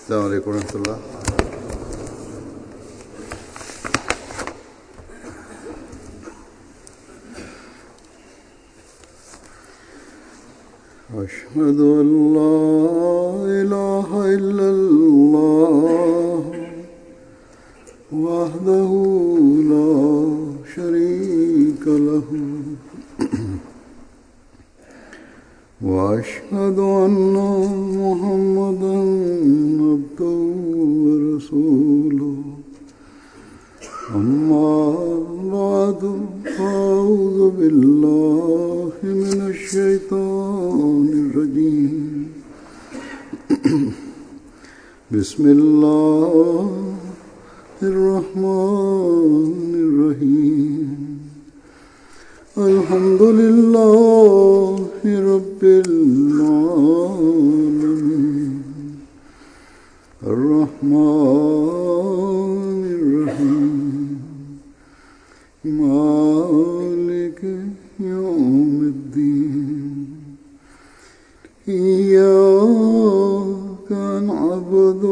السلام عليكم ورحمة الله. أشهد أن لا إله إلا الله وحده لا شريك له وأشهد أن محمدا عبده ورسوله أما بعد فأعوذ بالله من الشيطان الرجيم بسم الله الرحمن الرحيم الحمد لله رب العالمين الرحمن الرحيم مالك يوم الدين إياك نعبد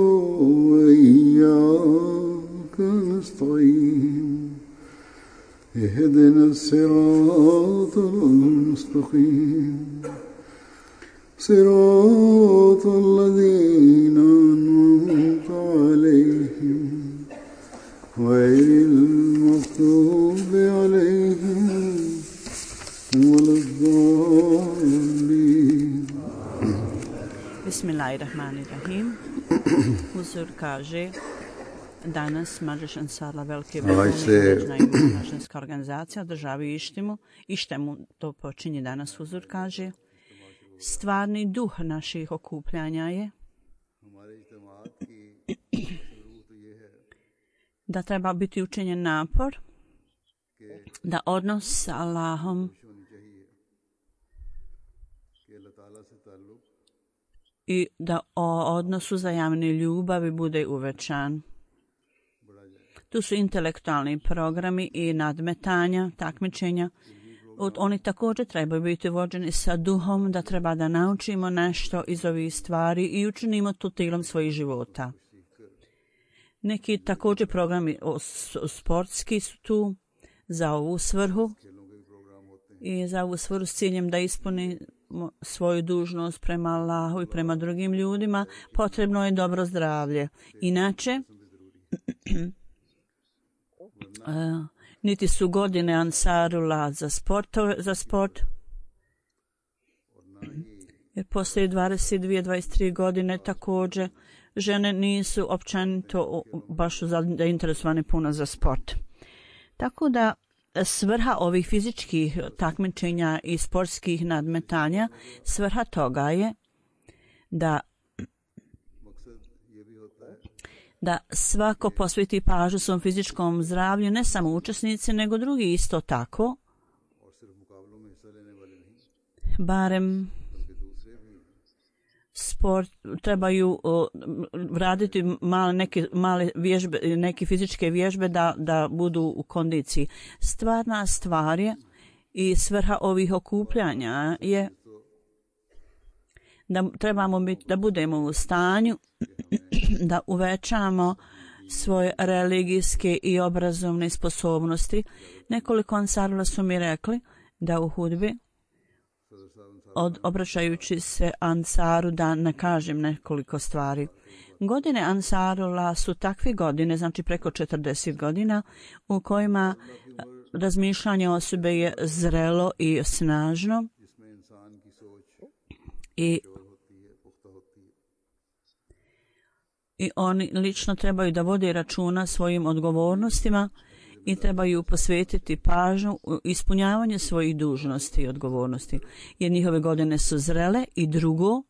وإياك نستعين اهدنا الصراط المستقيم صراط الذين أنعمت عليهم غير المغضوب عليهم ولا الضالين. Bismillahirrahmanirrahim. Huzur kaže danas Mađeš Ansarla Velike Međunarodna organizacija održavaju Ištemu, to počinje danas. Huzur kaže stvarni duh naših okupljanja je da treba biti učinjen napor da odnos sa Allahom i da o odnosu uzajamne ljubavi bude uvećan. Tu su intelektualni programi i nadmetanja, takmičenja. Oni također trebaju biti vođeni sa duhom da treba da naučimo nešto iz ovih stvari i učinimo to tilom svojih života. Neki također programi sportski su tu za ovu svrhu i za ovu svrhu s ciljem da ispuni svoju dužnost prema Allahu i prema drugim ljudima. Potrebno je dobro zdravlje. Inače, niti su godine Ansarula za sport. Jer poslije 22-23 godine također žene nisu općenito baš zainteresovane puno za sport. Tako da svrha ovih fizičkih takmičenja i sportskih nadmetanja, svrha toga je da svako posveti pažnju svom fizičkom zdravlju, ne samo učesnici, nego drugi isto tako. Barem sport trebaju raditi male vježbe, neke fizičke vježbe da budu u kondiciji. Stvarna stvar je i svrha ovih okupljanja je da trebamo da budemo u stanju da uvećamo svoje religijske i obrazovne sposobnosti. Nekoliko Ansarula su mi rekli da u hudbi obraćajući se Ansaru da ne kažem nekoliko stvari. Godine Ansarula su takve godine, znači preko 40 godina, u kojima razmišljanje osobe je zrelo i snažno i oni lično trebaju da vode računa svojim odgovornostima i trebaju posvetiti pažnju u ispunjavanje svojih dužnosti i odgovornosti. Jer njihove godine su zrele i drugo,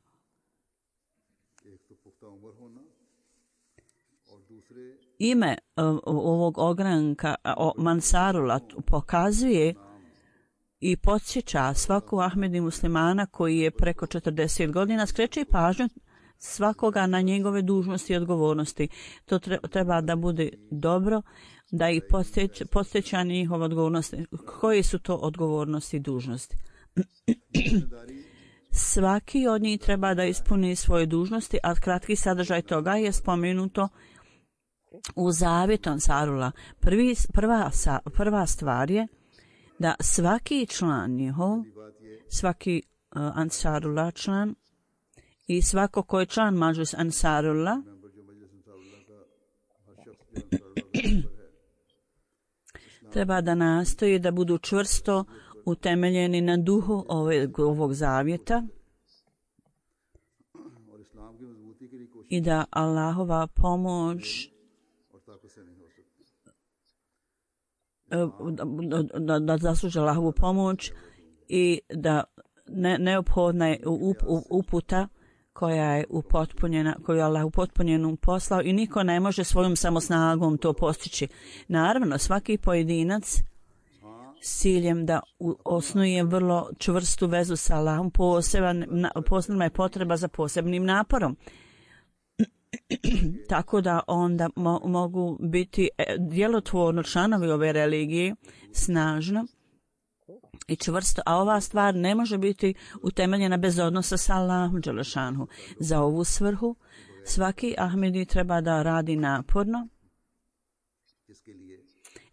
ime ovog ogranka Mansarula pokazuje i podsjeća svaku Ahmedi muslimana koji je preko 40 godina, skreće pažnju svakoga na njegove dužnosti i odgovornosti. To treba da bude dobro, da ih podsjeća njihove odgovornosti. Koje su to odgovornosti i dužnosti? svaki od njih treba da ispuni svoje dužnosti, a kratki sadržaj toga je spomenuto u zavjetu Ansarula. Prva stvar je da svaki član njihov, svaki Ansarullah član i svako ko je član Mađlis Ansarullah treba da nastoji da budu čvrsto utemeljeni na duhu ovog zavjeta i da Allahova pomoć da zasluže Allahovu pomoć i da neophodna je uputa koja je upotpunjena, koju je Allah upotpunjenu poslao i niko ne može svojom samosnagom to postići. Naravno, svaki pojedinac s ciljem da osnuje vrlo čvrstu vezu sa Allahom, posebna je potreba za posebnim naporom. Tako da onda mogu biti djelotvorno članovi ove religije snažno i čvrsto, a ova stvar ne može biti utemeljena bez odnosa sa Allahom dželešanhu. Za ovu svrhu svaki Ahmedi treba da radi naporno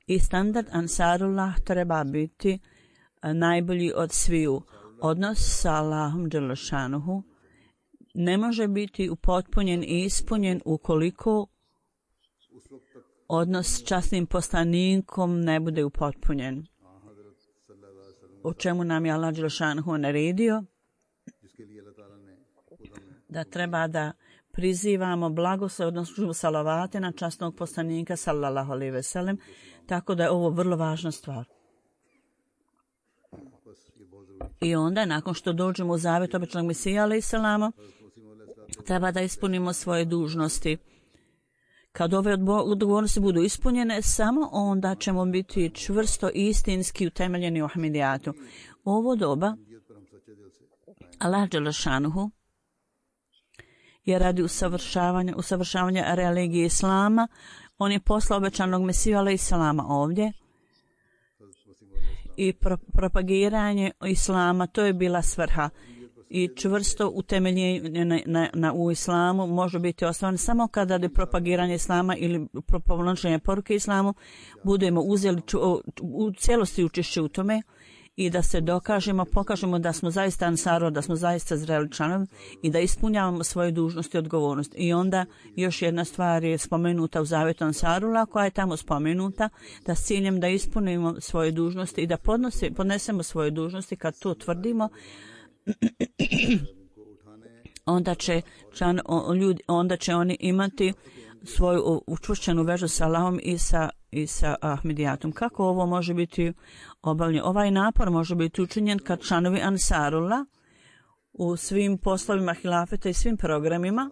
i standard Ansarullah treba biti najbolji od sviju. Odnos sa Allahom dželešanhu ne može biti upotpunjen i ispunjen ukoliko odnos s časnim poslanikom ne bude upotpunjen. O čemu nam je Allah dželešanhu naredio da treba da prizivamo blagoslov, odnosno salavate na časnog poslanika sallallahu alejhi ve sellem, tako da je ovo vrlo važna stvar. I onda nakon što dođemo u zavjet običnog Mesija alejhi selama, treba da ispunimo svoje dužnosti. Kad ove odgovornosti budu ispunjene, samo onda ćemo biti čvrsto i istinski utemeljeni u Ahmedijatu. U ovo doba Allah dželešanuhu je radi usavršavanja religije Islama. On je poslao obećanog Mesiju alejhi selama ovdje i propagiranje Islama, to je bila svrha. I čvrsto utemeljenje u islamu može biti osnovan samo kada je propagiranje islama ili propovlačenje poruke islamu budemo uzeli u cijelosti učešće u tome i da se pokažemo da smo zaista ansaro, da smo zaista zreli članovi i da ispunjavamo svoje dužnosti i odgovornosti. I onda još jedna stvar je spomenuta u zavjetu Ansarula koja je tamo spomenuta, da s ciljem da ispunimo svoje dužnosti i da podnesemo svoje dužnosti. Kad to tvrdimo, onda će oni imati svoju učvršćenu vežu sa Allahom i sa Ahmedijatom. Kako ovo može biti obavljeno? Ovaj napor može biti učinjen kad članovi Ansarullah u svim poslovima hilafeta i svim programima,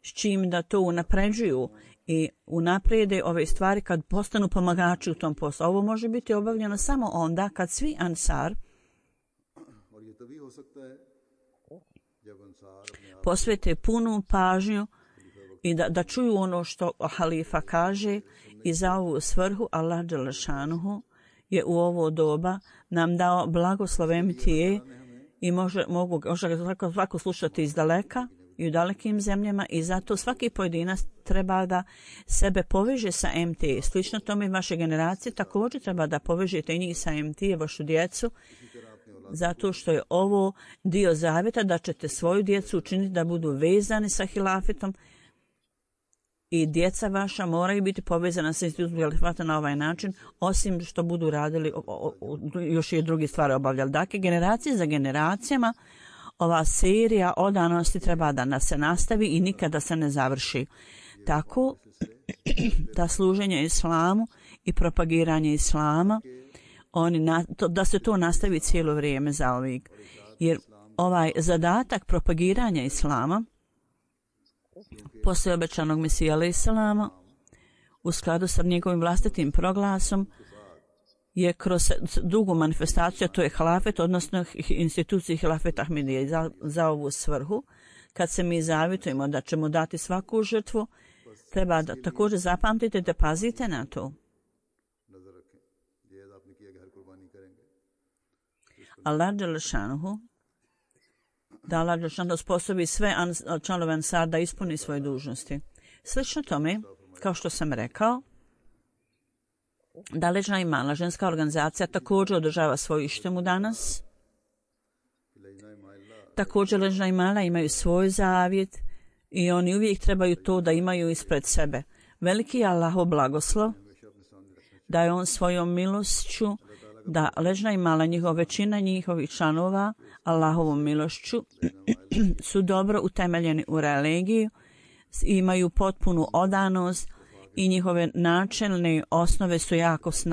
s čim da to unapređuju i unaprijede ove stvari kad postanu pomagači u tom poslu. Ovo može biti obavljeno samo onda kad svi Ansar posvete punu pažnju i da čuju ono što halifa kaže i za ovu svrhu Allah dželešanuhu je u ovo doba nam dao blagoslov MTA i može svako slušati iz daleka i u dalekim zemljama i zato svaki pojedinac treba da sebe poveže sa MTA. Slično tome vaše generacije također treba da povežete i njih sa MTA, vašu djecu, zato što je ovo dio zavjeta da ćete svoju djecu učiniti da budu vezani sa hilafetom i djeca vaša moraju biti povezana sa institutom hilafeta na ovaj način, osim što budu radili još i drugi stvari obavljali. Dakle, generacije za generacijama ova serija odanosti treba da se nastavi i nikada se ne završi. Tako da služenje islamu i propagiranje islama da se to nastavi cijelo vrijeme zauvijek. Jer ovaj zadatak propagiranja islama poslije obećanog Mesija alejhi selama u skladu sa njegovim vlastitim proglasom je kroz drugu manifestaciju, to je hilafet, odnosno instituciji hilafeta Ahmedije. Za ovu svrhu, kad se mi zavjetujemo da ćemo dati svaku žrtvu, treba da također zapamtite da pazite na to. Allah dželešanuhu da Allah dželešanu sposobi sve članove Ansar da ispuni svoje dužnosti. Slično tome, kao što sam rekao, da Ležna imala ženska organizacija također održava svoju ištemu danas. Također Ležna imala imaju svoj zavjet i oni uvijek trebaju to da imaju ispred sebe. Veliki je Allahov blagoslov da je on svojom milošću, da Ležna imala većina njihovih članova Allahovom milošću su dobro utemeljeni u religiju, imaju potpunu odanost i njihove načelne osnove su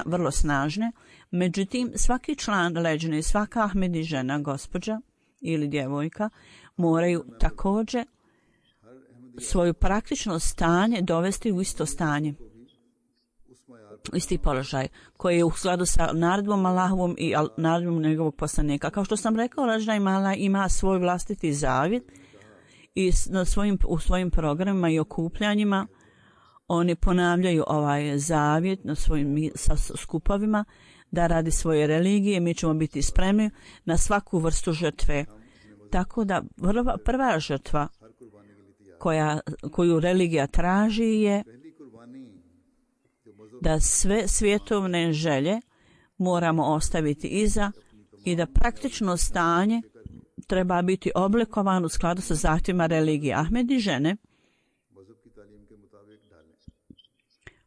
vrlo snažne. Međutim, svaki član Leđne, svaka Ahmedi žena, gospođa ili djevojka moraju također svoju praktično stanje dovesti u isto stanje, u isti položaj koji je u skladu sa naredbom Allahovom i naredbom njegovog poslanika. Kao što sam rekao, Ležna imala ima svoj vlastiti zavjet i u svojim programima i okupljanjima oni ponavljaju ovaj zavjet na svojim skupovima da radi svoje religije mi ćemo biti spremni na svaku vrstu žrtve. Tako da prva žrtva koju religija traži je da sve svjetovne želje moramo ostaviti iza i da praktično stanje treba biti oblikovano u skladu sa zahtjevima religije. Ahmedi žene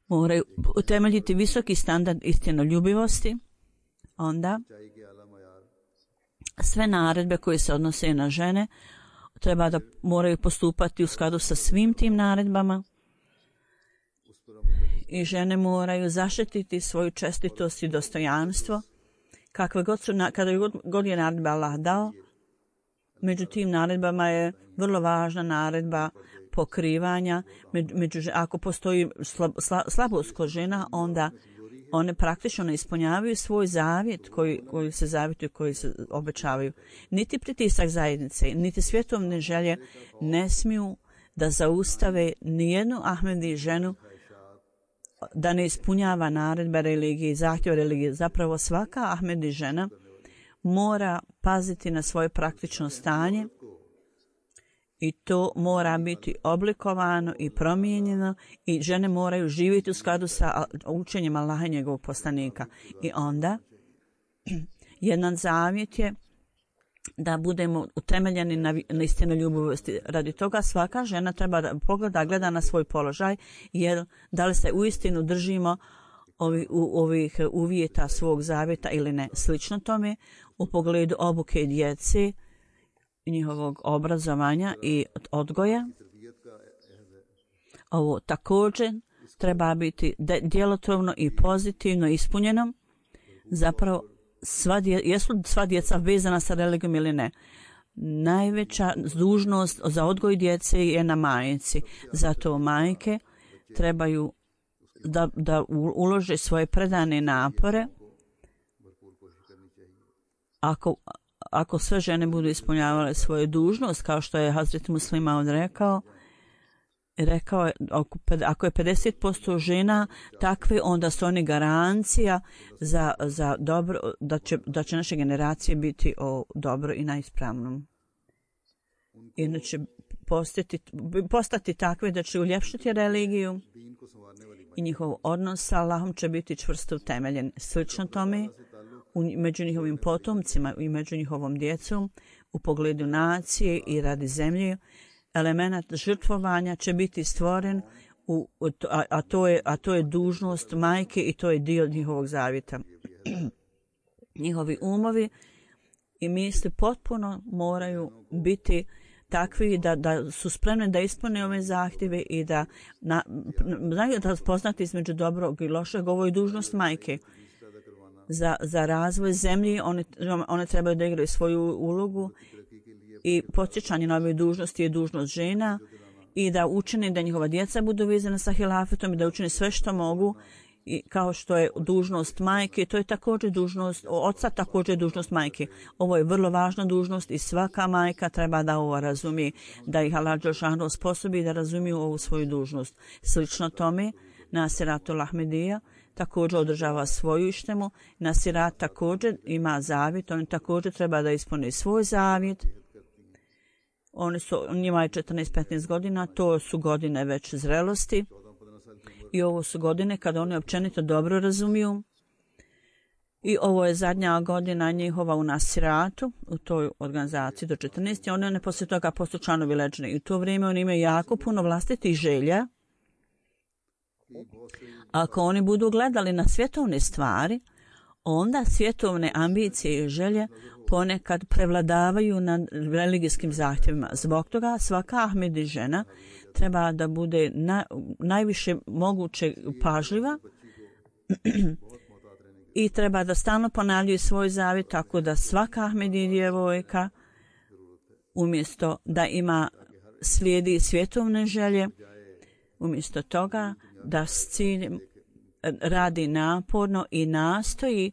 moraju utemeljiti visoki standard istinoljubivosti, onda sve naredbe koje se odnose na žene treba da moraju postupati u skladu sa svim tim naredbama i žene moraju zaštititi svoju čestitost i dostojanstvo kakve god su, kada god je naredba Allah dao. Među tim naredbama je vrlo važna naredba pokrivanja. Ako postoji slabost kod žena, onda one praktično ne ispunjavaju svoj zavjet koji se zavjetuju, koji se obećavaju. Niti pritisak zajednice, niti svjetovne želje ne smiju da zaustave nijednu Ahmedi ženu da ne ispunjava naredbe religije i zahtjeve religije. Zapravo svaka Ahmedi žena mora paziti na svoje praktično stanje i to mora biti oblikovano i promijenjeno i žene moraju živjeti u skladu sa učenjem Allaha i njegovog poslanika. I onda jedan zavjet je da budemo utemeljeni na istinoljubivosti. Radi toga svaka žena treba da pogleda, gleda na svoj položaj, jer da li se uistinu držimo ovih uvjeta svog zavjeta ili ne. Slično tome u pogledu obuke djece, njihovog obrazovanja i odgoja. Ovo također treba biti djelotvorno i pozitivno ispunjeno. Zapravo, jesu sva djeca vezana sa religijom ili ne? Najveća dužnost za odgoj djece je na majci. Zato majke trebaju da ulože svoje predane napore. Ako sve žene budu ispunjavale svoju dužnost, kao što je Hazret Muslima rekao je, ako je 50% žena takve, onda su oni garancija za dobro, da će naše generacije biti dobro i na ispravnom. Inače postati takve da će uljepšati religiju i njihov odnos sa Allahom će biti čvrsto utemeljen. Slično tome, među njihovim potomcima i među njihovom djecom u pogledu nacije i radi zemlje, element žrtvovanja će biti stvoren, a to je dužnost majke i to je dio njihovog zavjeta. Njihovi umovi i misli potpuno moraju biti takvi da su spremni da ispune ove zahtjeve i da znaju da poznati između dobrog i lošeg. Ovo je dužnost majke. Za razvoj zemlje one trebaju da igraju svoju ulogu i podsjećanje na ove dužnosti je dužnost žena i da učine da njihova djeca budu vezana sa hilafetom i da učine sve što mogu i kao što je dužnost majke, to je također dužnost oca, također dužnost majke. Ovo je vrlo važna dužnost i svaka majka treba da ovo razumije, da ih Allah dželešanu osposobi da razumiju ovu svoju dužnost. Slično tome, Nasiratul Ahmedija također održava svoju ištemu, Nasirat također ima zavjet, oni također treba da ispune svoj zavjet Njima je 14-15 godina, to su godine već zrelosti i ovo su godine kada oni općenito dobro razumiju. I ovo je zadnja godina njihova u Nasiratu, u toj organizaciji do 14. Oni poslije toga postaju članovi Leđne. I u to vrijeme oni imaju jako puno vlastitih želja. Ako oni budu gledali na svjetovne stvari, onda svjetovne ambicije i želje ponekad prevladavaju nad religijskim zahtjevima. Zbog toga svaka Ahmedi žena treba da bude najviše moguće pažljiva i treba da stalno ponavljaju svoj zavjet, tako da svaka Ahmedi djevojka umjesto da slijedi svjetovne želje, umjesto toga da s ciljem radi naporno i nastoji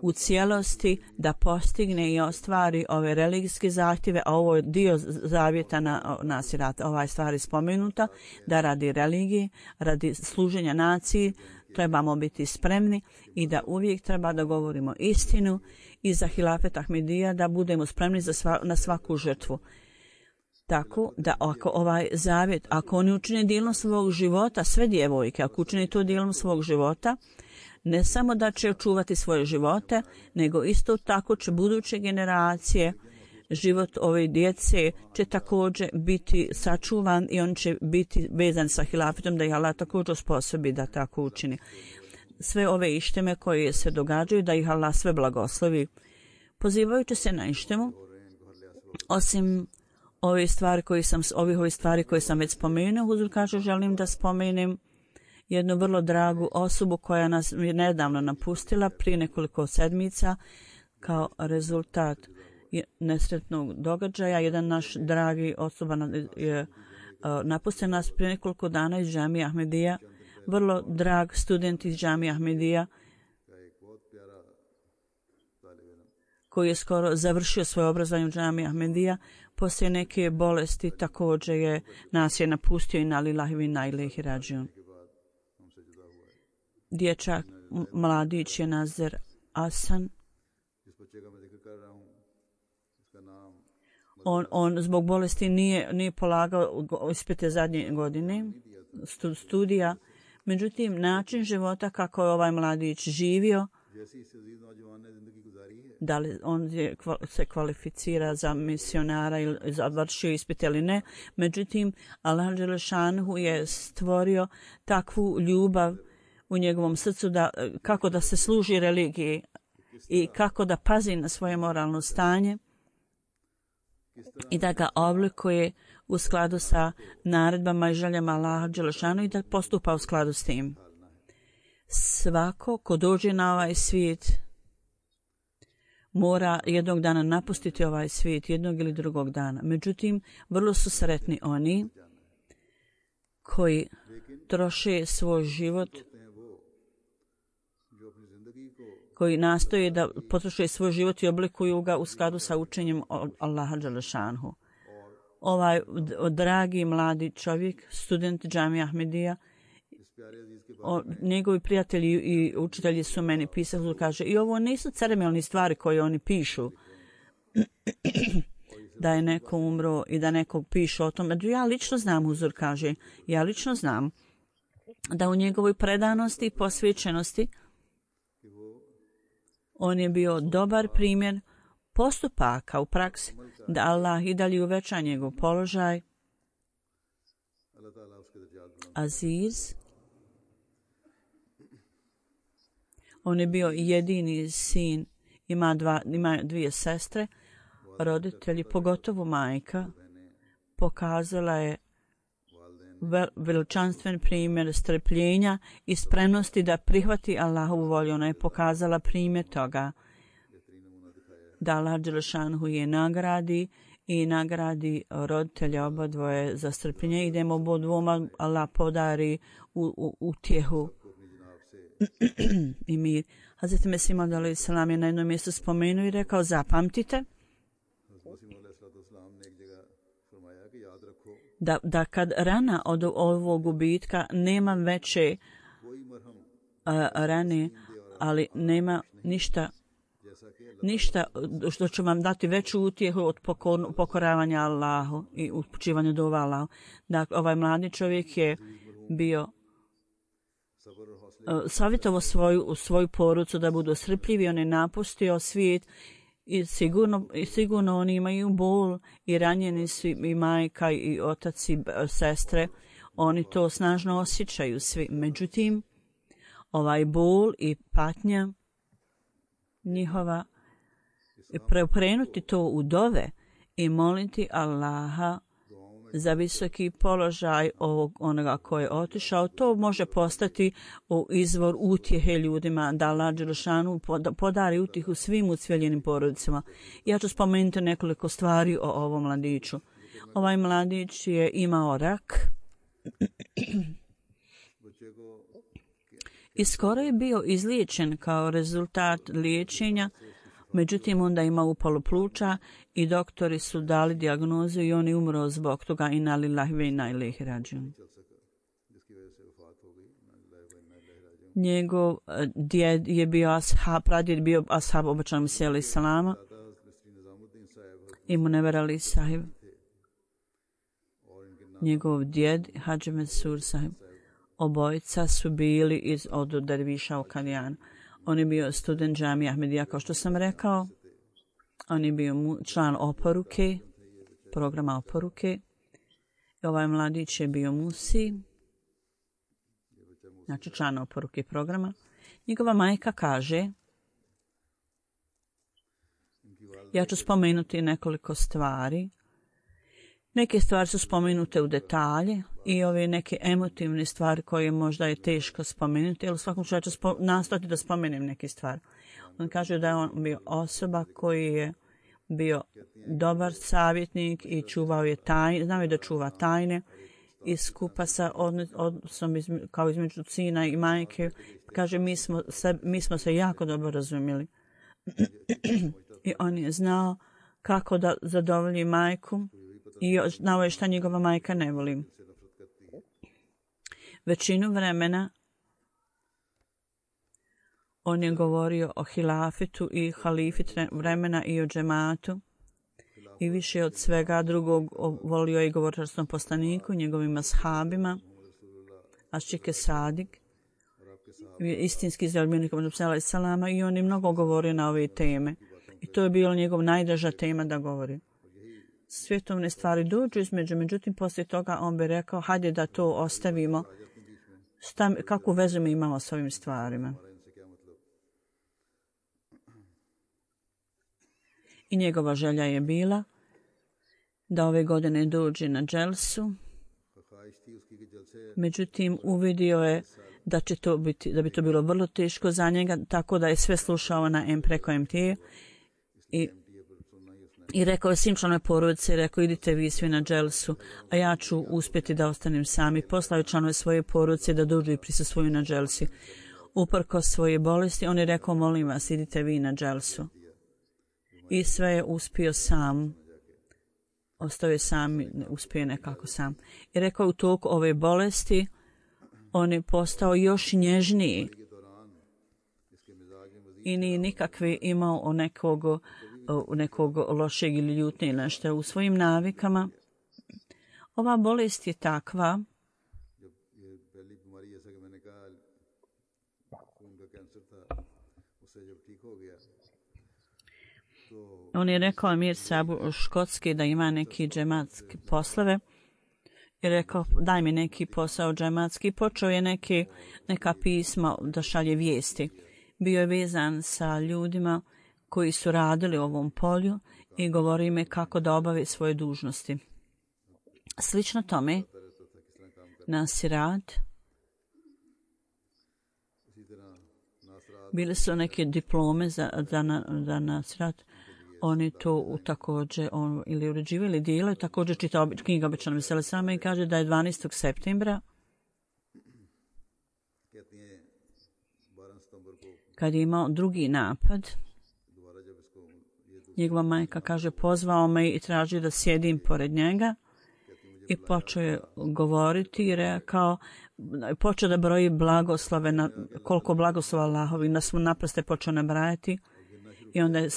u cijelosti da postigne i ostvari ove religijske zahtjeve, a ovo je dio zavjeta na Nasirata, ova je stvar spomenuta, da radi religije, radi služenja naciji, trebamo biti spremni i da uvijek treba da govorimo istinu i za hilafet Ahmedija da budemo spremni na svaku žrtvu. Tako da ako ovaj zavjet, ako oni učine dijelom svog života, sve djevojke, ako učine to dijelom svog života, ne samo da će očuvati svoje živote, nego isto tako će buduće generacije, život ove djece će također biti sačuvan i on će biti vezan sa hilafetom, da ih Allah također osposobi da tako učini. Sve ove išteme koje se događaju, da ih Allah sve blagoslovi. Pozivajući se na ištemu, osim ovih stvari koje sam već spomenuo, Huzur kaže, želim da spomenem jednu vrlo dragu osobu koja nas je nedavno napustila prije nekoliko sedmica kao rezultat nesretnog događaja. Jedan naš dragi osoba je napustio nas prije nekoliko dana iz Džamije Ahmedija, vrlo drag student iz Džamije Ahmedija koji je skoro završio svoje obrazovanje u Džamiji Ahmedija. Poslije neke bolesti također nas je napustio i na lillahi wa inna ilaihi rađiun. Dječak, mladić je Nazir Asan. On zbog bolesti nije polagao ispite zadnje godine studija. Međutim, način života kako je ovaj mladić živio, da li on se kvalificira za misionara ili završio ispit ili ne. Međutim, Allah dželešanhu je stvorio takvu ljubav u njegovom srcu kako da se služi religiji i kako da pazi na svoje moralno stanje i da ga oblikuje u skladu sa naredbama i željama Allaha dželešanu i da postupa u skladu s tim. Svako ko dođe na ovaj svijet mora jednog dana napustiti ovaj svijet, jednog ili drugog dana. Međutim, vrlo su sretni oni koji troše svoj život, koji nastoje da potroše svoj život i oblikuju ga u skladu sa učenjem Allaha dželešanhu. Ovaj dragi mladi čovjek, student Džamije Ahmedija, njegovi prijatelji i učitelji su meni pisali, kaže, i ovo nisu ceremonijne stvari koje oni pišu, da je neko umro i da nekog piše o tome. Ja lično znam, Huzur kaže, ja lično znam da u njegovoj predanosti i posvećenosti on je bio dobar primjer postupaka u praksi, da Allah i dalje uveća njegov položaj. Aziz, on je bio jedini sin, ima dvije sestre, roditelji, pogotovo majka, pokazala je veličanstven primjer strpljenja i spremnosti da prihvati Allahovu volju. Ona je pokazala primjer toga da Allah dželešanhu je nagradi i nagradi roditelja obadvoje za strpljenje. Idemo obodvoma, Allah podari utjehu i mir. Hazret Mesih Maud alejhi selam je na jednom mjestu spomenuo i rekao, zapamtite da kad rana od ovog gubitka nema veće rane, ali nema ništa ništa što će vam dati veću utjehu od pokoravanja Allahu i upućivanja dova Allahu. Dakle, ovaj mladi čovjek je bio savjetovao svoju porucu da budu strpljivi, on je napustio svijet i sigurno oni imaju bol i ranjeni su i majka i otac i sestre, oni to snažno osjećaju svi. Međutim, ovaj bol i patnja njihova, preokrenuti to u dove i moliti Allaha za visoki položaj onoga ko je otišao, to može postati izvor utjehe ljudima, da Allah dželešanu podari utjehu svim ucveljenim porodicama. Ja ću spomenuti nekoliko stvari o ovom mladiću. Ovaj mladić je imao rak i skoro je bio izliječen kao rezultat liječenja. Međutim, onda ima upalu pluća i doktori su dali dijagnozu i on je umro zbog toga. Inna lillahi ve inna ilaihi rađiun. Njegov djed je bio ashab, pradjed bio ashab obećanog Mesija alejhi selama i Munever alejhi sahib. Njegov djed Hadži Mesur sahib. Obojica su bili od derviša u Kadijanu. On je bio student džamije Ahmedija, kao što sam rekao. On je bio član oporuke, programa oporuke. I ovaj mladić je bio musi, znači član oporuke programa. Njegova majka kaže, ja ću spomenuti nekoliko stvari. Neke stvari su spomenute u detalje i ove neke emotivne stvari koje možda je teško spomenuti, ali u svakom slučaju ću nastojati da spomenem neke stvari. On kaže da je on bio osoba koji je bio dobar savjetnik i čuvao je tajne, znao je da čuva tajne i skupa sa odnosom kao između sina i majke. Kaže, mi smo se jako dobro razumjeli. I on je znao kako da zadovolji majku i znao je šta njegova majka ne voli. Većinu vremena on je govorio o hilafetu i halifit vremena i o džematu i više od svega drugog volio je govorčarskom poslaniku, njegovim ashabima, Aščike Sadik, istinski zaljubljeni Muhammed alejhi selama, i on je mnogo govorio na ove teme. I to je bila njegov najdraža tema da govori. Svjetovne stvari dođu između, međutim poslije toga on bi rekao, hajde da to ostavimo. Kakvu vezu mi imamo s ovim stvarima? I njegova želja je bila da ove godine dođe na dželsu. Međutim, uvidio je da bi to bilo vrlo teško za njega, tako da je sve slušao na preko MT i rekao je svim članove porodice, rekao, idite vi svi na dželsu, a ja ću uspjeti da ostanem sami. Poslao je članove svoje porodice da dođu i prisustvuju na dželsi. Uprkos svoje bolesti, on je rekao, molim vas, idite vi na dželsu. I sve je uspio sam. Ostao je sam, uspio nekako sam. I rekao, u toku ove bolesti, on je postao još nježniji. I nije nikakve imao nekog lošeg ili ljutnje ili nešto u svojim navikama. Ova bolest je takva on je rekao Amir Sabu Škotski da ima neki džematski poslove i rekao, daj mi neki posao džematski. Počeo je neka pisma da šalje vijesti. Bio je vezan sa ljudima koji su radili u ovom polju i govori im kako da obave svoje dužnosti. Slično tome, Nasirat, bile su neke diplome za Nasirat. Oni to također ili uređivali ili dijelaju. Također čitao knjiga obećanog Mesija alejhi selama i kaže da je 12. septembra kad je imao drugi napad, njegova majka kaže, pozvao me i traži da sjedim pored njega i počeo je govoriti i rekao, počeo da broji blagoslove, koliko blagoslova Allahovi, na svu naprosto je počeo nabrajati I onda je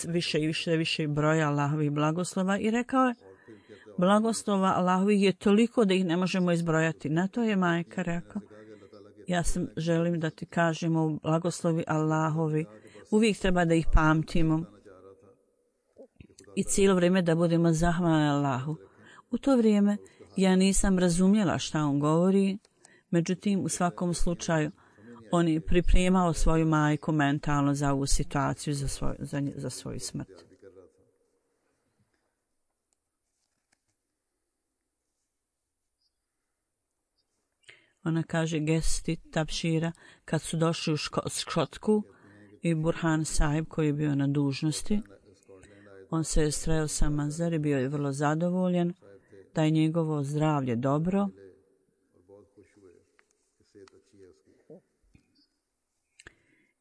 više broja Allahovih blagoslova i rekao je, blagoslova Allahovih je toliko da ih ne možemo izbrojati. Na to je majka rekao, ja želim da ti kažemo blagoslovi Allahovi. Uvijek treba da ih pamtimo i cijelo vrijeme da budemo zahvalni Allahu. U to vrijeme ja nisam razumjela šta on govori, međutim u svakom slučaju on je pripremao svoju majku mentalno za ovu situaciju, za svoju smrt. Ona kaže gesti Tabšira kad su došli u Škotsku i Burhan Sahib koji je bio na dužnosti, on se je sreo sa Mazar i bio je vrlo zadovoljan da je njegovo zdravlje dobro.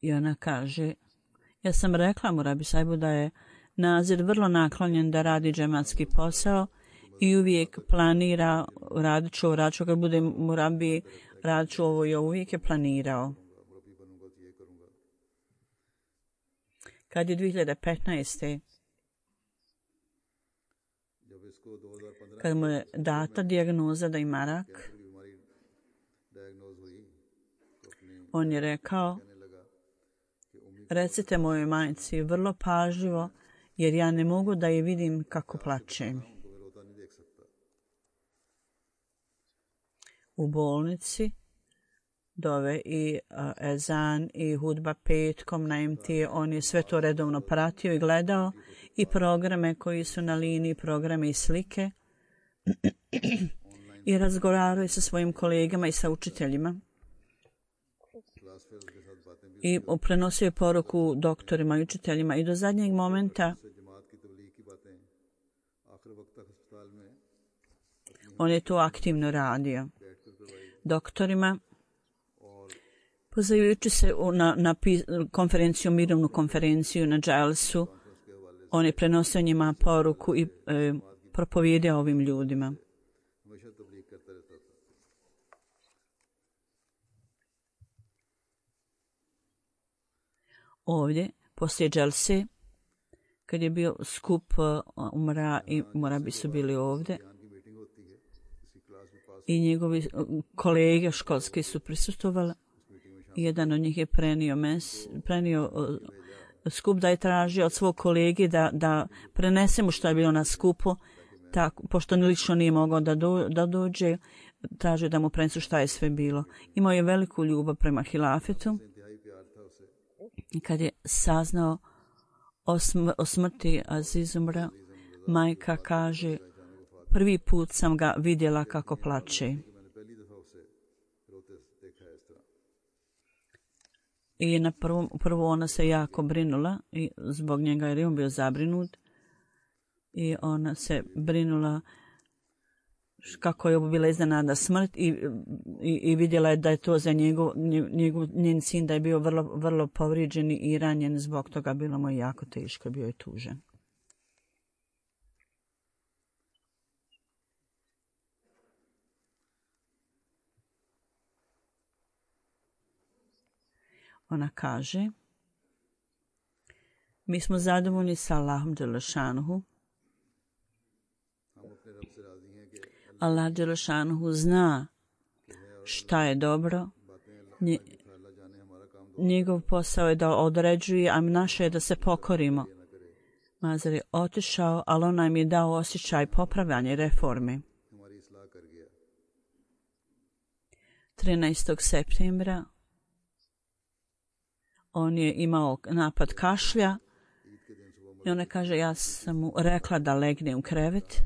I ona kaže, ja sam rekla mu Rabi Sahibu da je Nazir vrlo naklonjen da radi džematski posao i uvijek planira, radit ću kad bude Murabi, radit ću ovo i uvijek je planirao. Kad je 2015. kad mu je data dijagnoza da ima rak, on je rekao, recite mojoj majci vrlo pažljivo, jer ja ne mogu da je vidim kako plače. U bolnici dove i ezan i hudba petkom na MT, on je sve to redovno pratio i gledao i programe koji su na liniji, programe i slike i razgovarao sa svojim kolegama i sa učiteljima. I prenosio je poruku doktorima i učiteljima i do zadnjeg momenta on je to aktivno radio. Doktorima, pozajujući se na konferenciju, mirovnu konferenciju na Dželsu, on je prenosio njima poruku i propovijedao ovim ljudima. Ovdje, poslije Dželse, kad je bio skup Umra i Murabi su bili ovdje, i njegovi kolege školski su prisustvovali. Jedan od njih je prenio skup da je tražio od svog kolege da prenese mu što je bilo na skupu, tako, pošto lično nije mogao da dođe, tražio da mu prenesu šta je sve bilo. Imao je veliku ljubav prema hilafetu. Kad je saznao o smrti Aziz Umra, majka kaže, prvi put sam ga vidjela kako plače. I prvo ona se jako brinula i zbog njega jer je on bio zabrinut. I ona se brinula kako je bila iznenadna smrt i vidjela je da je to za njen sin da je bio vrlo povrijeđen i ranjen, zbog toga bilo mu jako teško, bio je tužen. Ona kaže, mi smo zadovoljni sa Allahom Đelešanuhu. Allah Đelešanuhu zna šta je dobro. Njegov posao je da određuje, a naše je da se pokorimo. Mazar je otišao, ali on nam je dao osjećaj popravljanja reforme. 13. septembra on je imao napad kašlja i ona kaže, ja sam mu rekla da legne u krevet.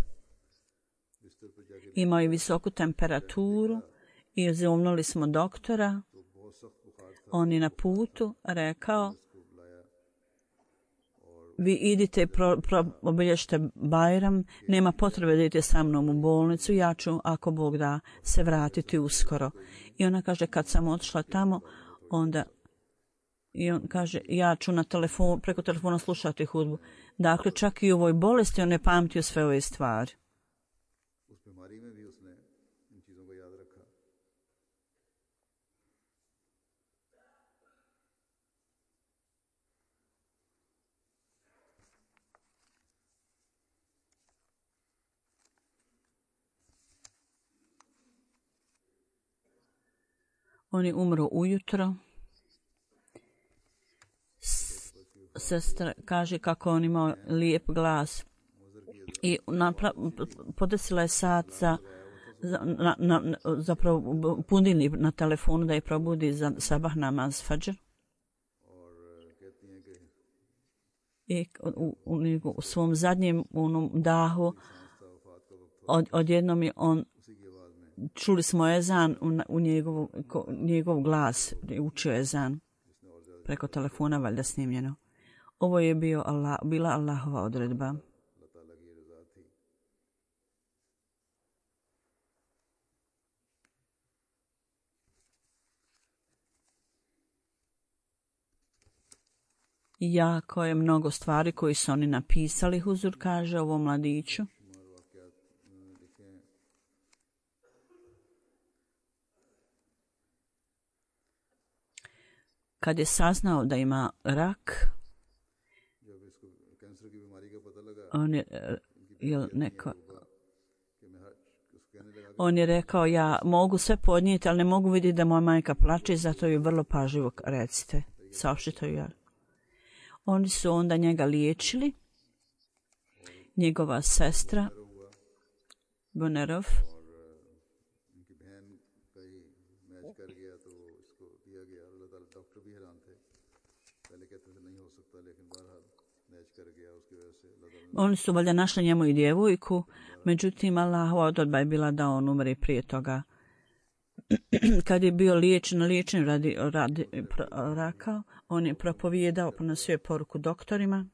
Imao je visoku temperaturu i zovnuli smo doktora. On je na putu rekao, vi idite, obilježite Bajram, nema potrebe da idete sa mnom u bolnicu, ja ću, ako Bog da, se vratiti uskoro. I ona kaže, kad sam otišla tamo, onda i on kaže, ja ću preko telefona slušati hudbu. Dakle, čak i u ovoj bolesti on je pamtio sve ove stvari. On je umro ujutro. Sestra kaže kako on imao lijep glas i podesila je sat zapravo budilnik na telefonu da je probudi za sabah namaz fadžr. I u svom zadnjem dahu odjednom je on, čuli smo ezan u njegov glas, učio ezan preko telefona, valjda snimljeno. Ovo je bila Allahova odredba. Jako je mnogo stvari koji su oni napisali, Huzur kaže ovom mladiću. Kad je saznao da ima rak, on je rekao, ja mogu sve podnijeti, ali ne mogu vidjeti da moja majka plače, zato ju vrlo pažljivo recite, saopštite ju. Oni su onda njega liječili, njegova sestra, Bonerov, oni su valjda našli njemu i djevojku, međutim Allahova odredba je bila da on umre prije toga. Kad je bio liječen radi raka, on je propovijedao, prenosio je poruku doktorima.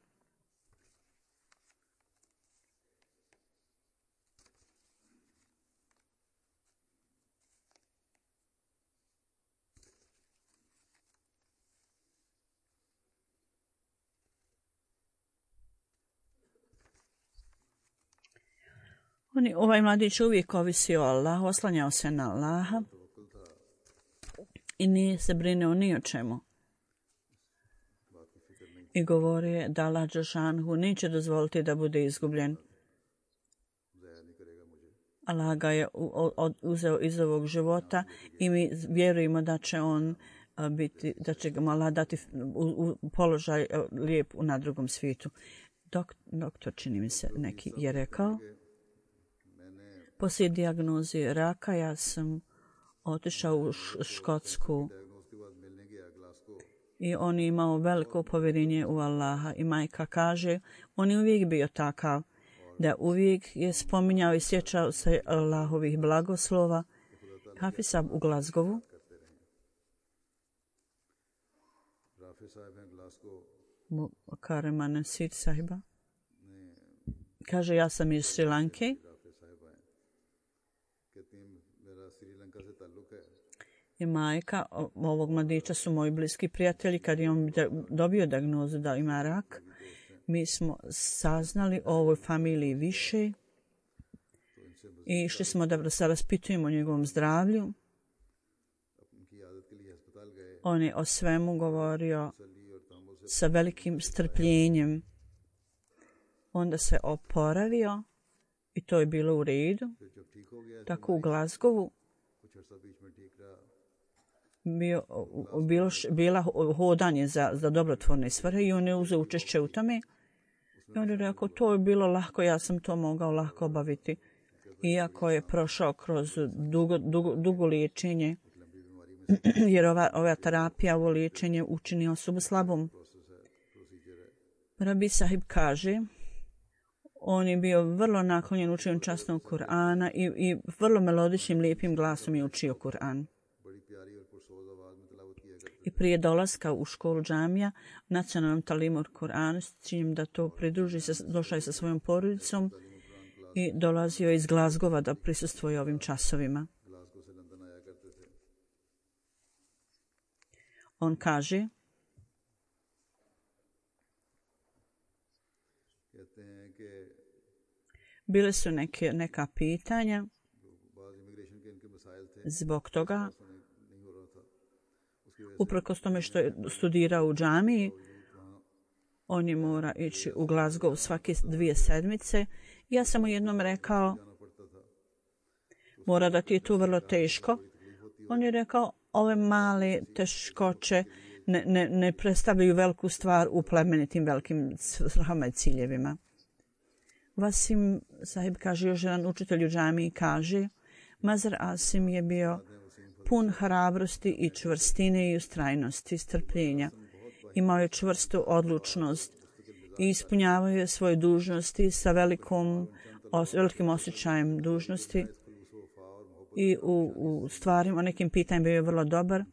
Ovaj mladić uvijek ovisio o Allahu, oslanjao se na Allaha i nije se brinuo ni o čemu. I govorio da Allah dželešanohu neće dozvoliti da bude izgubljen. Allah ga je uzeo iz ovog života i mi vjerujemo da će on biti, da će ga Allah dati u položaj lijep na drugom svijetu. Doktor, čini mi se, neki je rekao, poslije dijagnoze raka ja sam otišao u Škotsku i on je imao veliko povjerenje u Allaha i majka kaže, on je uvijek bio takav da uvijek je spominjao i sjećao se Allahovih blagoslova. Hafisa u Glasgowu Kareman Sir Sahiba kaže, ja sam iz Sri Lanke i majka ovog mladića su moji bliski prijatelji. Kad je on dobio dijagnozu da ima rak, mi smo saznali o ovoj familiji više i išli smo da se raspitujemo o njegovom zdravlju. On je o svemu govorio sa velikim strpljenjem. Onda se oporavio i to je bilo u redu. Tako u Glasgowu bila hodanje za dobrotvorne svrhe i on je uzeo učešće u tome. I on je rekao, to je bilo lahko, ja sam to mogao lahko obaviti. Iako je prošao kroz dugo liječenje, jer ova terapija, ovo liječenje učini osobu slabom. Rabi Sahib kaže, on je bio vrlo naklonjen učenju časnog Kur'ana i vrlo melodičnim, lijepim glasom je učio Kur'an. I prije dolaska u školu džamija, nacionalnom talimu Kur'ana, s ciljem da to pridruži, došao je sa svojom porodicom i dolazio je iz Glasgowa da prisustvuje ovim časovima. On kaže, bile su neka pitanja zbog toga, uprkos tome što je studirao u džamiji, on je mora ići u Glasgow svake 2 sedmice. Ja sam mu jednom rekao, mora da ti je to vrlo teško. On je rekao, ove male teškoće ne predstavljaju veliku stvar u plemenitim velikim svrhama i ciljevima. Vasim Sahib kaže, još jedan učitelj u džamiji kaže, Mazar Asim je bio pun hrabrosti i čvrstine i ustrajnosti, strpljenja. Imao je čvrstu odlučnost i ispunjavao je svoje dužnosti sa velikim osjećajem dužnosti i u stvarima, nekim pitanjima bio je vrlo dobar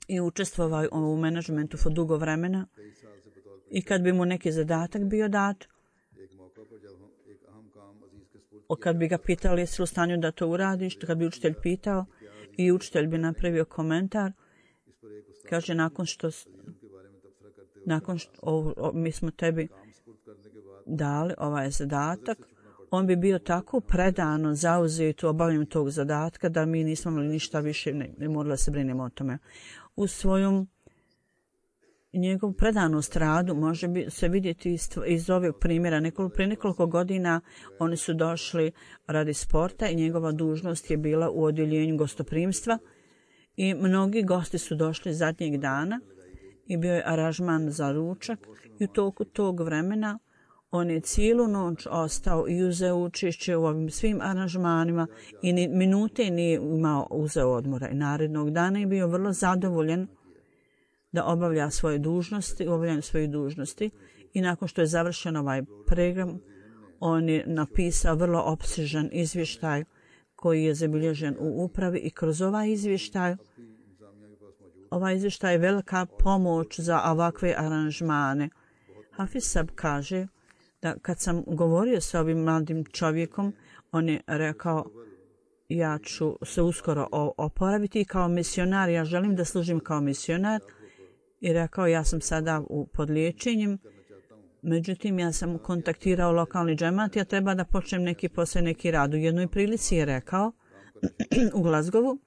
i učestvovao u menadžmentu for dugo vremena i kad bi mu neki zadatak bio dat, kad bi ga pitali jesi li u stanju da to uradiš, kad bi učitelj pitao i učitelj bi napravio komentar, kaže nakon što mi smo tebi dali ovaj zadatak, on bi bio tako predano zauzet u obavljanju tog zadatka da mi nismo imali ništa više, ne morali se brinemo o tome. U svojom njegovu predanost radu može se vidjeti iz ovog primjera. Prije nekoliko godina oni su došli radi sporta i njegova dužnost je bila u odjeljenju gostoprimstva i mnogi gosti su došli zadnjeg dana i bio je aranžman za ručak i u toku tog vremena on je cijelu noć ostao i uzeo učešće u ovim svim aranžmanima i ni minute nije uzeo odmora. I narednog dana je bio vrlo zadovoljan da obavlja svoje dužnosti, obavljanju svojih dužnosti i nakon što je završen ovaj program, on je napisao vrlo opsežan izvještaj koji je zabilježen u upravi i kroz ovaj izvještaj je velika pomoć za ovakve aranžmane. Hafiz Sab kaže da kad sam govorio sa ovim mladim čovjekom, on je rekao ja ću se uskoro oporaviti i kao misionar, ja želim da služim kao misionar i rekao ja sam sada pod liječenjem, međutim ja sam kontaktirao lokalni džemat, ja treba da počnem neki posao, neki rad. U jednoj prilici je rekao u Glasgowu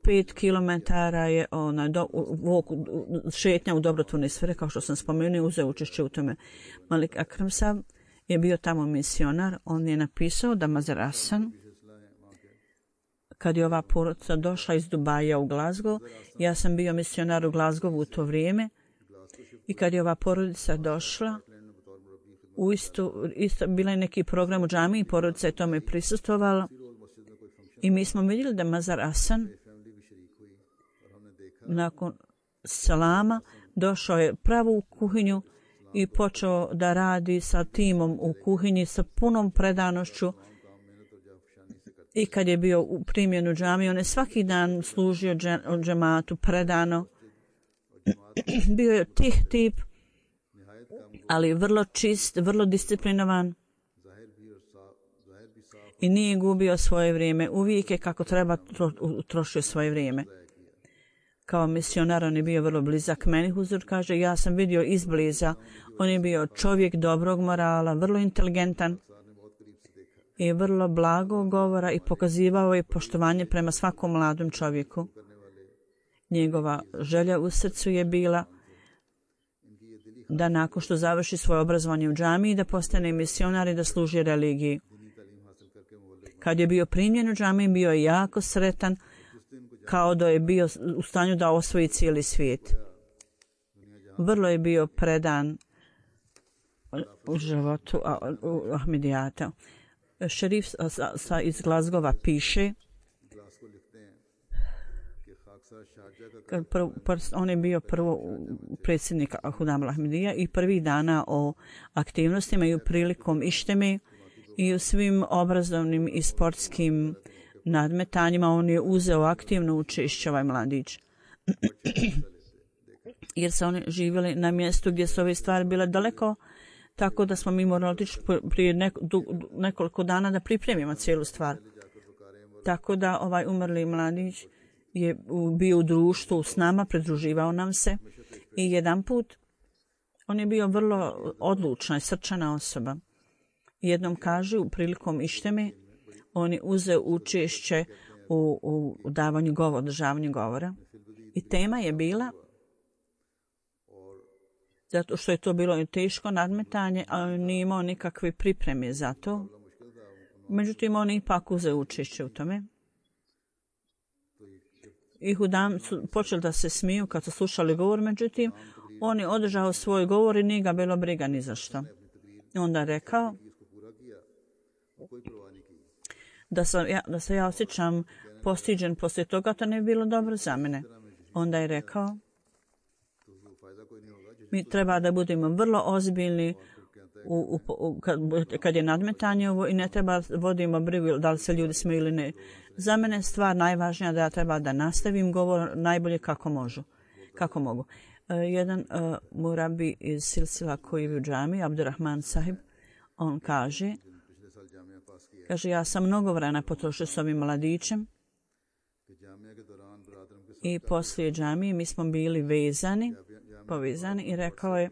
5 kilometara je šetnja u dobrotvorne sfere, kao što sam spomenuo, uzeo učešće u tome. Malik Akram Sab je bio tamo misionar, on je napisao da Mazar Hasan, kad je ova porodica došla iz Dubaja u Glasgow, ja sam bio misionar u Glasgowu u to vrijeme, i kad je ova porodica došla, isto bila je neki program u džamiji i porodica je tome prisustvovala i mi smo vidjeli da Mazar Hasan nakon salama došao je pravo u kuhinju i počeo da radi sa timom u kuhinji sa punom predanošću. I kad je bio u primjenu džamije, on je svaki dan služio džematu predano. Bio je tih tip, ali vrlo čist, vrlo disciplinovan i nije gubio svoje vrijeme. Uvijek je kako treba trošio svoje vrijeme. Kao misionar on je bio vrlo blizak meni. Huzur kaže, ja sam vidio izbliza. On je bio čovjek dobrog morala, vrlo inteligentan i vrlo blago govora i pokazivao je poštovanje prema svakom mladom čovjeku. Njegova želja u srcu je bila da nakon što završi svoje obrazovanje u džamiji da postane misionar i da služi religiji. Kad je bio primljen u džamiji, bio je jako sretan, kao da je bio u stanju da osvoji cijeli svijet. Vrlo je bio predan u životu Ahmedijata. Šerif iz Glasgowa piše, on je bio prvo predsjednik Hudam Ahmedija i prvih dana o aktivnostima i u prilikom išteme i u svim obrazovnim i sportskim nadmetanjima on je uzeo aktivno učešće ovaj mladić. Jer su oni živjeli na mjestu gdje su ove stvari bile daleko, tako da smo mi morali otići prije nekoliko dana da pripremimo cijelu stvar. Tako da ovaj umrli mladić je bio u društvu s nama, pridruživao nam se i jedan put on je bio vrlo odlučna i srčana osoba. Jednom kaže u prilikom išteme on je uzeo učešće u davanju govora, održavanju govora i tema je bila, zato što je to bilo teško nadmetanje, ali nije imao nikakve pripreme za to. Međutim, oni ipak uzeo učešće u tome. I hudam su počeli da se smiju kad su slušali govor, međutim, on je održao svoj govor i nije ga bilo briga ni za što. I onda je rekao da se ja osjećam postiđen poslije toga, to ne bi bilo dobro za mene. Onda je rekao, mi treba da budemo vrlo ozbiljni kad je nadmetanje ovo i ne treba vodimo brigu da li se ljudi smiju ili ne. Za mene je stvar najvažnija da ja treba da nastavim govor najbolje kako mogu. Jedan murabi iz Silsila koji je u džami, Abdurrahman sahib, on kaže, ja sam mnogo vremena potrošio s ovim mladićem i poslije džamije mi smo bili povezani i rekao je,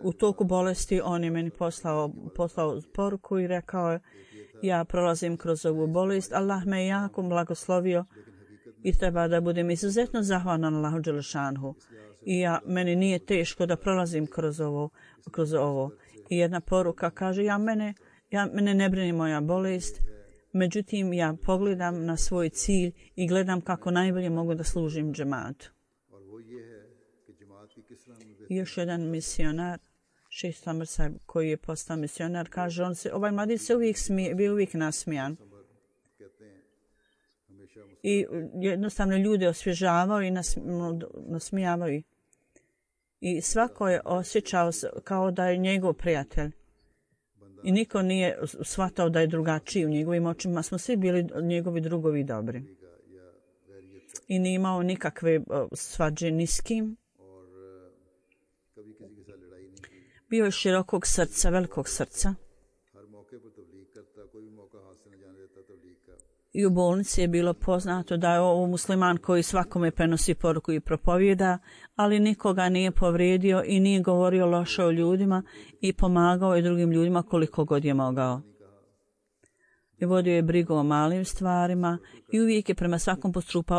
u toku bolesti on je meni poslao poruku i rekao je, ja prolazim kroz ovu bolest, Allah me je jako blagoslovio i treba da budem izuzetno zahvalan Allahu dželešanhu. I meni nije teško da prolazim kroz ovo. I jedna poruka kaže, mene ne brini moja bolest, međutim ja pogledam na svoj cilj i gledam kako najbolje mogu da služim džematu. I još jedan misionar, Šejh Samar Sahib, koji je postao misionar, kaže, ovaj mladić se bio uvijek nasmijan. I jednostavno ljude osvježavao i nasmijavao ih. I svako je osjećao kao da je njegov prijatelj. I niko nije shvatao da je drugačiji u njegovim očima. Smo svi bili njegovi drugovi dobri. I nije imao nikakve svađe ni s kim. Bio je širokog srca, velikog srca. I u bolnici je bilo poznato da je ovo musliman koji svakome prenosi poruku i propovjeda, ali nikoga nije povrijedio i nije govorio loše o ljudima i pomagao je drugim ljudima koliko god je mogao. I vodio je brigu o malim stvarima i uvijek je prema svakom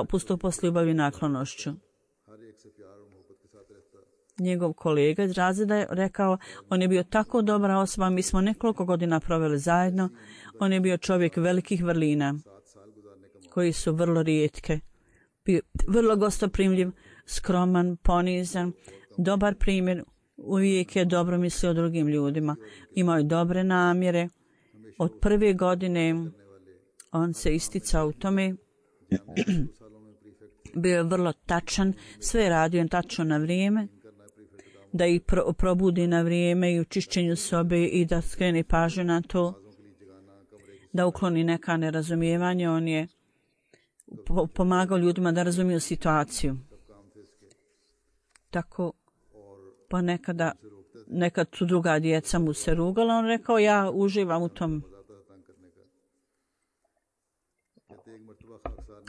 postupao s ljubavi i naklonošću. Njegov kolega iz razreda je rekao, on je bio tako dobra osoba, mi smo nekoliko godina proveli zajedno, on je bio čovjek velikih vrlina, koji su vrlo rijetke. Bio vrlo gostoprimljiv, skroman, ponizan, dobar primjer, uvijek je dobro mislio o drugim ljudima. Imao je dobre namjere. Od prve godine on se isticao u tome. Bio je vrlo tačan, sve je radio tačno na vrijeme, da ih probudi na vrijeme i u čišćenju sobe i da skrene pažnju na to, da ukloni neka nerazumijevanja. On je pomagao ljudima da razumiju situaciju. Tako nekad su druga djeca mu se rugala, on rekao, ja uživam u tom.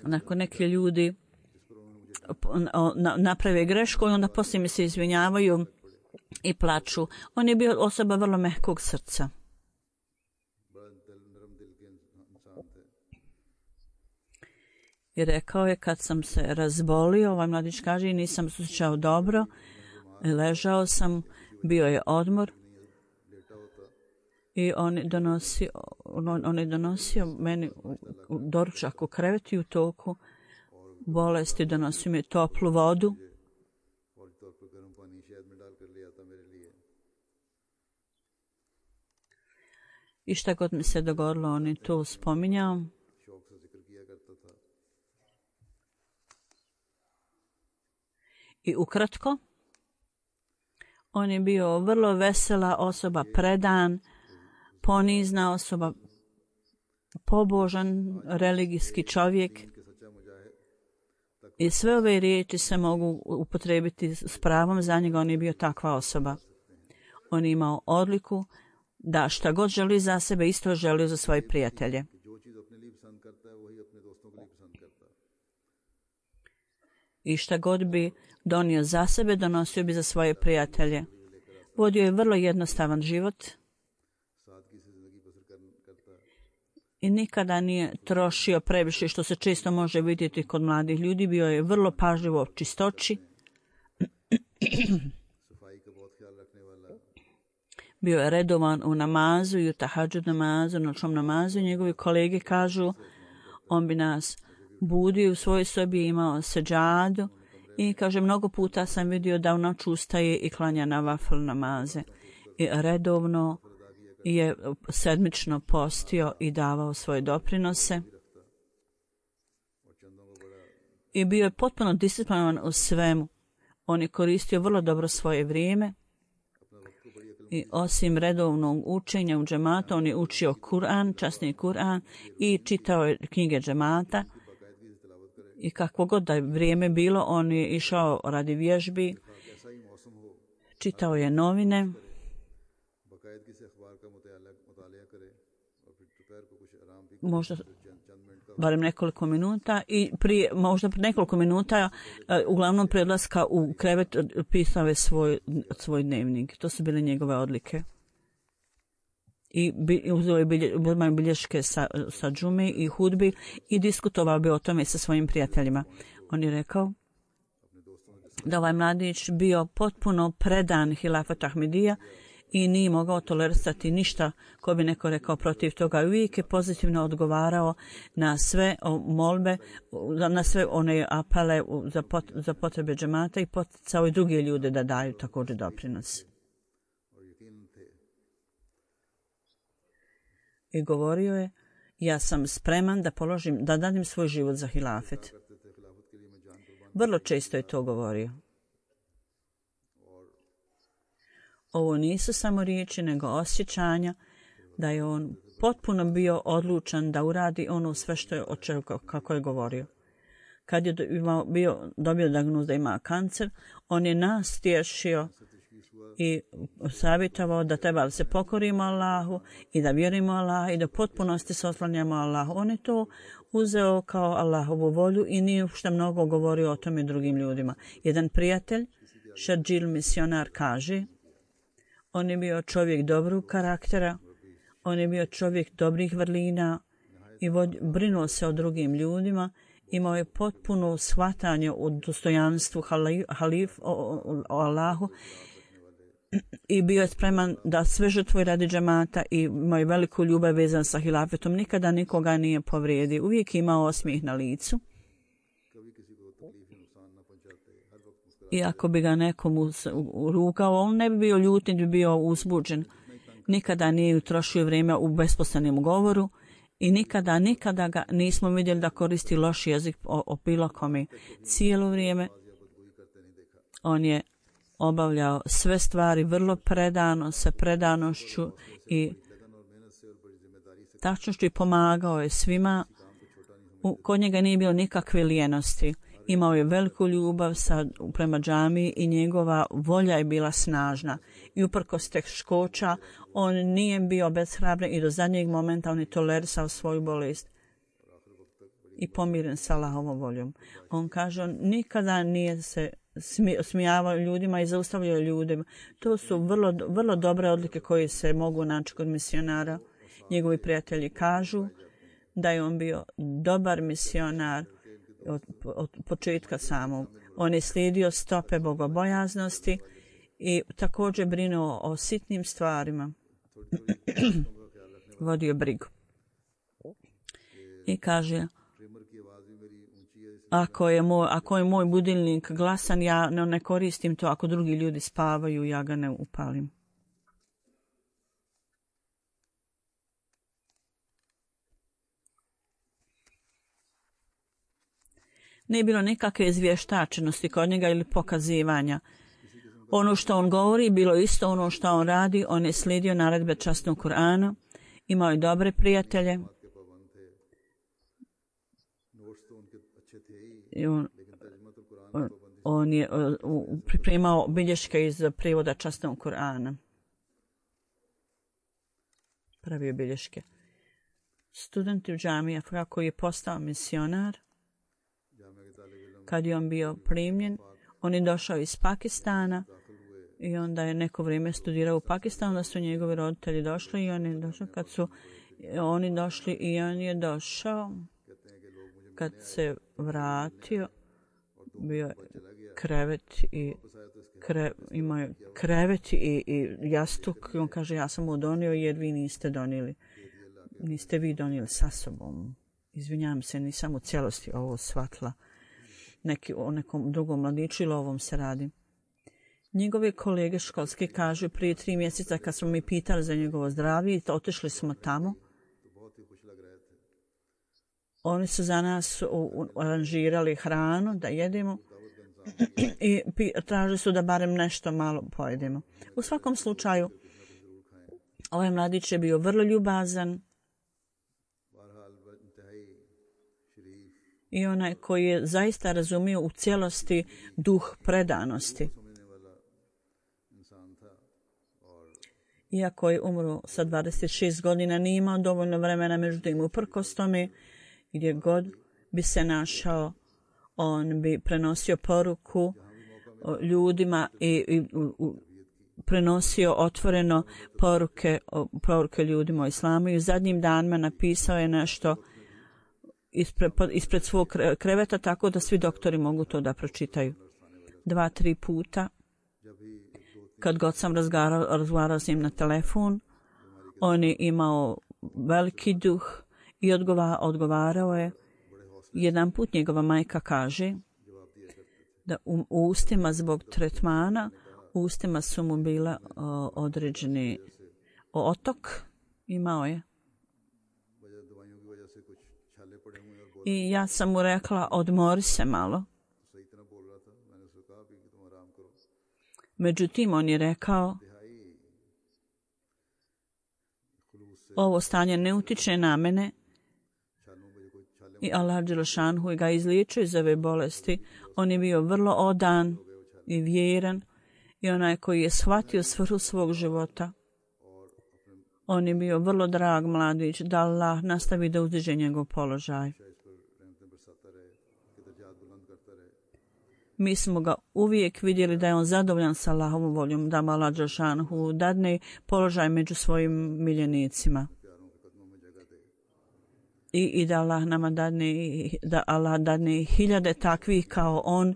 Nakon neki ljudi naprave grešku i onda poslije mi se izvinjavaju i plaču. On je bio osoba vrlo mehkog srca. I rekao je, kad sam se razbolio, ovaj mladić kaže, nisam se osjećao dobro, ležao sam, bio je odmor i on je donosio meni doručak u krevetu i u toku bolesti, donosio mi toplu vodu. I šta god mi se dogodilo, on je to spominjao. I ukratko, on je bio vrlo vesela osoba, predan, ponizna osoba, pobožan, religijski čovjek. I sve ove riječi se mogu upotrijebiti s pravom za njega, on je bio takva osoba. On je imao odliku da šta god želi za sebe, isto želi za svoje prijatelje. I šta god bi donio za sebe, donosio bi za svoje prijatelje. Vodio je vrlo jednostavan život i nikada nije trošio previše, što se često može vidjeti kod mladih ljudi. Bio je vrlo pažljivo o čistoći. Bio je redovan u namazu i u tahadžud namazu, noćnom namazu. Njegovi kolege kažu, on bi nas budio u svojoj sobi, imao seđadu i kaže, mnogo puta sam vidio da u noć ustaje i klanja na vafl namaze. I redovno je sedmično postio i davao svoje doprinose. I bio je potpuno disciplinovan u svemu. On je koristio vrlo dobro svoje vrijeme. I osim redovnog učenja u džematu, on je učio Kur'an, časni Kur'an i čitao je knjige džemata. I kakvo god da je vrijeme bilo, on je išao radi vježbi, čitao je novine. Možda barem nekoliko minuta i možda nekoliko minuta uglavnom predlaska u krevet pisao je svoj dnevnik. To su bile njegove odlike. I uzeo je bilješke sa džume i hudbi i diskutovao bi o tome sa svojim prijateljima. On je rekao da ovaj mladić bio potpuno predan hilafatu Ahmedija i nije mogao tolerisati ništa ko bi neko rekao protiv toga. Uvijek je pozitivno odgovarao na sve molbe, na sve one apele za potrebe džemata i poticao i druge ljude da daju također doprinos. I govorio je, ja sam spreman da dadim svoj život za hilafet. Vrlo često je to govorio. Ovo nisu samo riječi, nego osjećanja da je on potpuno bio odlučan da uradi ono sve što je kako je govorio. Kad je dobio dijagnozu da ima kancer, on je nas tješio i savjetovao da treba da se pokorimo Allahu i da vjerimo Allahu i da potpunosti se oslanjamo Allahu. On je to uzeo kao Allahovu volju i nije što mnogo govorio o tome drugim ljudima. Jedan prijatelj, Šadžil misionar, kaže, on je bio čovjek dobrog karaktera, on je bio čovjek dobrih vrlina i brinuo se o drugim ljudima, imao je potpuno shvatanje o dostojanstvu o Allahu i bio je spreman da sve žrtvuje radi džemata i imao je veliku ljubav vezan sa hilafetom. Nikada nikoga nije povrijedio, uvijek imao osmijeh na licu. I ako bi ga nekomu rukao, on ne bi bio ljut, ne bi bio uzbuđen. Nikada nije utrošio vrijeme u besposlenom govoru i nikada ga nismo vidjeli da koristi loš jezik o bilo kome. Cijelo vrijeme on je obavljao sve stvari vrlo predano, sa predanošću i tačnošću i pomagao je svima. Kod njega nije bilo nikakve lijenosti. Imao je veliku ljubav prema džamiji i njegova volja je bila snažna. I uprkos teškoća on nije bio beshrabren i do zadnjeg momenta on je tolerisao svoju bolest i pomiren sa Allahovom voljom. On kaže, on nikada nije se smijavao ljudima i zaustavljao ljudima. To su vrlo dobre odlike koje se mogu naći kod misionara. Njegovi prijatelji kažu da je on bio dobar misionar od početka samog. On je slijedio stope bogobojaznosti i također brinuo o sitnim stvarima. Vodio brigu. I kaže, ako je moj budilnik glasan, ja ne koristim to. Ako drugi ljudi spavaju, ja ga ne upalim. Nije bilo nikakve izvještačenosti kod njega ili pokazivanja. Ono što on govori bilo isto ono što on radi. On je slijedio naredbe časnog Kur'ana. Imao je dobre prijatelje. I on je pripremao bilješke iz prijevoda časnog Kur'ana. Pravio bilješke. Student u džamiji kako je postao misionar. Kad je on bio primljen, on je došao iz Pakistana i onda je neko vrijeme studirao u Pakistanu, da su njegovi roditelji došli i on je došao. Kad su oni došli i on je došao, kad se vratio, bio krevet i imao krevet i jastuk i on kaže ja sam mu donio jer vi niste donijeli. Niste vi donijeli sa sobom. Izvinjavam se, nisam u cijelosti ovo shvatila. O nekom drugom mladiću ili ovom se radi. Njegove kolege školske kažu prije 3 mjeseca kad smo mi pitali za njegovo zdravlje i otišli smo tamo. Oni su za nas aranžirali hranu da jedemo i tražili su da barem nešto malo pojedemo. U svakom slučaju, ovaj mladić je bio vrlo ljubazan i onaj koji je zaista razumio u cijelosti duh predanosti. Iako je umro sa 26 godina, nije imao dovoljno vremena, međutim uprkos tome, gdje god bi se našao, on bi prenosio poruku ljudima i prenosio otvoreno poruke ljudima o islamu. I u zadnjim danima napisao je nešto ispred svog kreveta tako da svi doktori mogu to da pročitaju. 2-3 puta, kad god sam razgovarao s njim na telefon, on je imao veliki duh i odgovarao je. Jedan put njegova majka kaže da u ustima zbog tretmana, u ustima su mu bila određeni otok, imao je. I ja sam mu rekla, odmori se malo. Međutim, on je rekao, ovo stanje ne utiče na mene i Allah dželešanhu ga izliječio iz ove bolesti. On je bio vrlo odan i vjeran i onaj koji je shvatio svrhu svog života. On je bio vrlo drag mladić, da Allah nastavi da uzdiže njegov položaj. Mi smo ga uvijek vidjeli da je on zadovoljan sa Allahovom voljom, da mu Allah dželešanhu dadne položaj među svojim miljenicima. I da Allah nama dadne hiljade takvih kao on,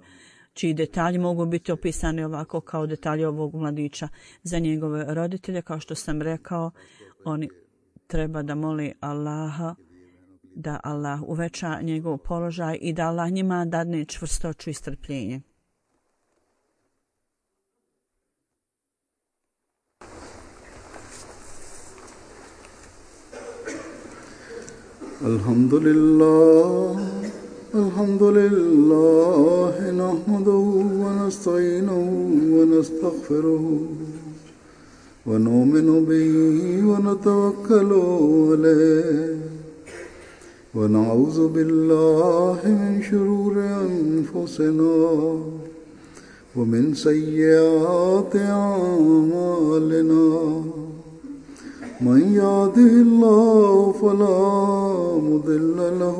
čiji detalji mogu biti opisani ovako kao detalji ovog mladića. Za njegove roditelje, kao što sam rekao, oni treba da moli Allaha da Allah uveća njegov položaj i da Allah njima dadne čvrstoću i strpljenje. Alhamdulillah, nahmaduhu wa nasta'inuhu wa nastaghfiruhu wa nu'minu bihi wa natawakkalu alayhi wa na'udhu billahi min shururi anfusina wa min sayyiati a'malina. من يهده الله فلا مضل له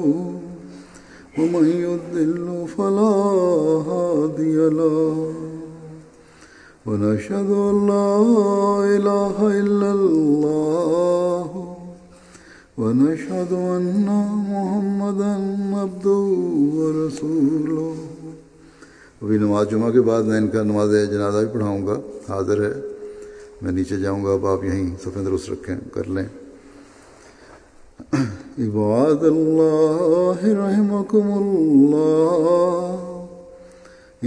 ومن يضلل فلا هادي له ونشهد أن لا إله إلا الله ونشهد أن محمدا عبده ورسوله. अभी नमाज जुमा के बाद मैं इनका नमाज जनाजा भी पढ़ाऊंगा, हाजिर है। मैं नीचे जाऊंगा, अब आप यहीं सफ़े दुरुस्त रखें कर लें। इबादल्लाह रहमकुमुल्लाह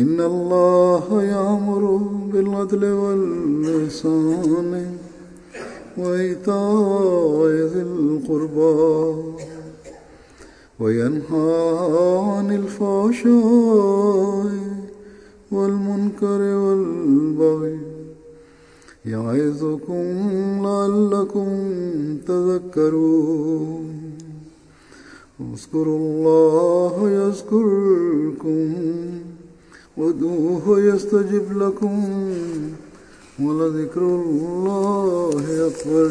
इन्नल्लाह यामुरु बिल अदल वल इहसान व इताइ ज़िल क़ुरबा व यन्हा अनिल फ़हशाइ वल मुनकरि वल बग़य يعظكم لعلكم تذكرون. اذكروا الله يذكركم وادعوه يستجب لكم ولذكر الله أكبر.